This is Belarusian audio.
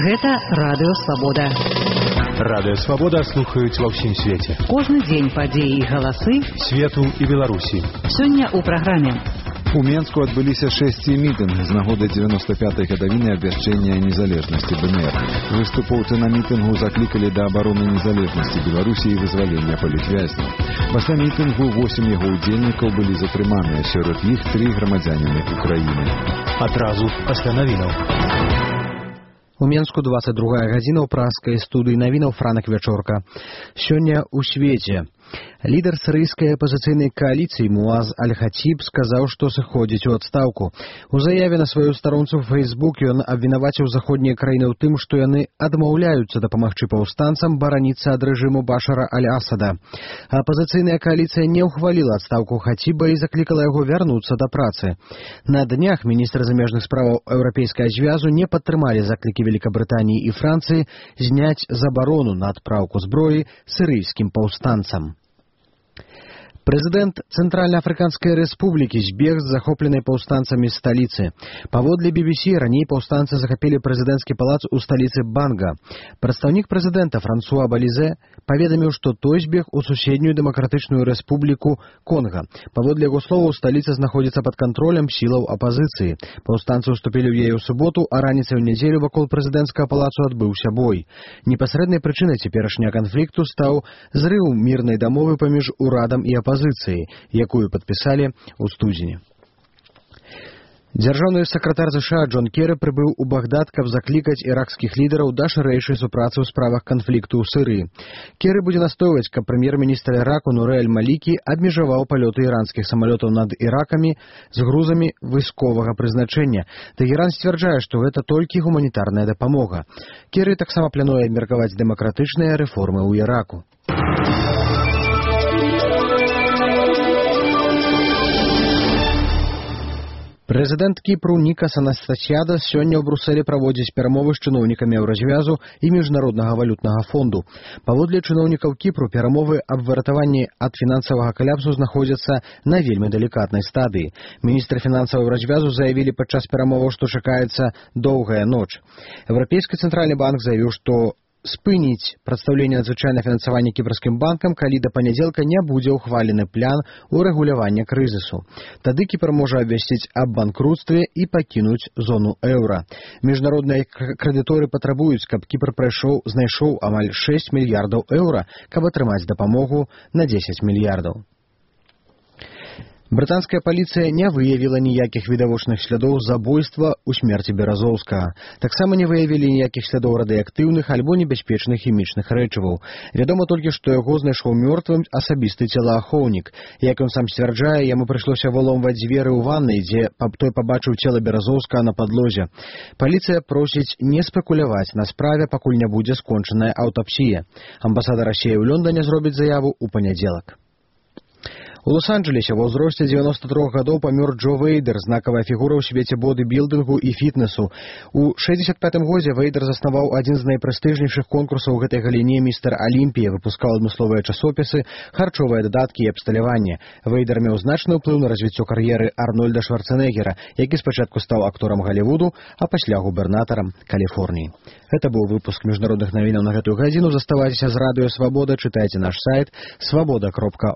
Гэта Радыё Свабода. Радыё Свабода слухаюць ва ўсім свеце. Кожны дзень падзеі і галасы свету і Беларусі. Сёння ў праграме. У Менску адбыліся 6 мітынг з нагоды 95-й гадавіны абвяшчэння незалежнасці ДНР. Выступоўцы на мітынгу заклікалі да абароны незалежнасці Беларусі і вызвалення палітвязняў. Пасля мітынгу 8 яго удзельнікаў былі затрыманыя, сярод іх 3 грамадзяніны Украіны. Адразу пасля навінаў. У Менску 22 гадзіна ў праскай студыі навінаў Франак Вячорка. Сёння ў свеце. Лідар сірыйскай апазіцыйнай кааліцыі Муаз Аль-Хатіб сказаў, што сыходзіць у адстаўку. У заяве на сваю старонцу ў Фейсбук ён абвінаваціў заходнія краіны ў тым, што яны адмаўляюцца дапамагчы паўстанцам бараніцца ад рэжыму Башара Аль-Асада. Апазіцыйная кааліцыя не ўхваліла адстаўку Хатіба і заклікала яго вярнуцца да працы. На днях міністры замежных справаў Еўрапейскага звязу не падтрымалі заклікі Великабрытаніі і Францыі зняць забарону на адпраўку зброі сірыйскім паўстанцам. Прэзідэнт Цэнтральнаафрыканскай рэспублікі збег з захопленай паўстанцамі сталіцы. Паводле BBC, раней паўстанцы захапілі прэзідэнцкі палац у сталіцы Банга. Прадстаўнік прэзідэнта Франсуа Балізе паведаміў, што той збег у суседнюю дэмакратычную рэспубліку Конга. Паводле яго словаў, сталіца знаходзіцца пад кантролем сілаў апазіцыі. Паўстанцы ўступілі ў яе ў суботу, а раніцай у нядзелю вакол прэзідэнцкага палацу адбыўся бой. Непасрэднай прычынай цяперашняга канфлікту стаў зрыў мірнай дамовы паміж урадам і апазіцыяй, якую падпісалі ў студзені. Дзяржаўны сакратар США Джон Керры прыбыў у Багдад, каб заклікаць іракскіх лідараў да шырэйшай супрацы ў справах канфлікту ў Сырыі. Керры будзе настойваць, каб прэм'ер-міністр Іраку Нурэ Аль-Малікі абмежаваў палёты іранскіх самалётаў над Іракамі з грузамі вайсковага прызначэння. Тэгеран сцвярджае, што гэта толькі гуманітарная дапамога. Керры таксама плануе абмеркаваць дэмакратычныя рэформы ў Іраку. Прэзідэнт Кіпру Нікас Анастасіадас сёння ў Брусэлі праводзіць перамовы з чыноўнікамі Еўразвязу і Міжнароднага валютнага фонду. Паводле чыноўнікаў Кіпру, перамовы аб выратаванні ад фінансавага каляпсу знаходзяцца на вельмі далікатнай стадыі. Міністры фінансаў Еўразвязу заявілі падчас перамоваў, што чакаецца доўгая ноч. Еўрапейскі цэнтральны банк заявіў, што спыніць прадстаўленне надзвычайнага фінансавання кіпрскім банкам, калі да панядзелка не будзе ўхвалены план урэгулявання крызісу. Тады Кіпр можа абвясціць аб банкруцтве і пакінуць зону еўра. Міжнародныя крэдыторы патрабуюць, каб Кіпр знайшоў амаль 6 мільярдаў еўра, каб атрымаць дапамогу на 10 мільярдаў. Брытанская паліцыя не выявіла ніякіх відавочных слядоў забойства ў смерці Беразоўскага. Таксама не выявілі ніякіх слядоў радыеактыўных альбо небяспечных хімічных рэчываў. Вядома толькі, што яго знайшоў мёртвым асабісты целаахоўнік. Як ён сам сцвярджае, яму прыйшлося выломваць дзверы ў ваннай, дзе той пабачыў цела Беразоўскага на падлозе. Паліцыя просіць не спекуляваць на справе, пакуль не будзе скончаная аўтапсія. Амбасада Расіі ў Лондоне зробіць заяву ў панядзелак. У Лос-Анджелесе ва ўзросце 93 гадоў памёр Джо Вейдер, знакавая фігура ў свеце бодыбілдынгу і фітнесу. У 65-м годзе Вейдер заснаваў адзін з найпрэстыжнейшых конкурсаў у гэтай галіне «Містер Алімпія», выпускаў адмысловыя часопісы, харчовыя дадаткі і абсталяванне. Вейдер меў значны ўплыў на развіццё кар'еры Арнольда Шварцэнеггера, які спачатку стаў акторам Галівуду, а пасля губернатарам Каліфорніі. Гэта быў выпуск міжнародных навінаў на гэтую гадзіну. Заставайцеся з Радыё Свабода, чытайце наш сайт swaboda.org.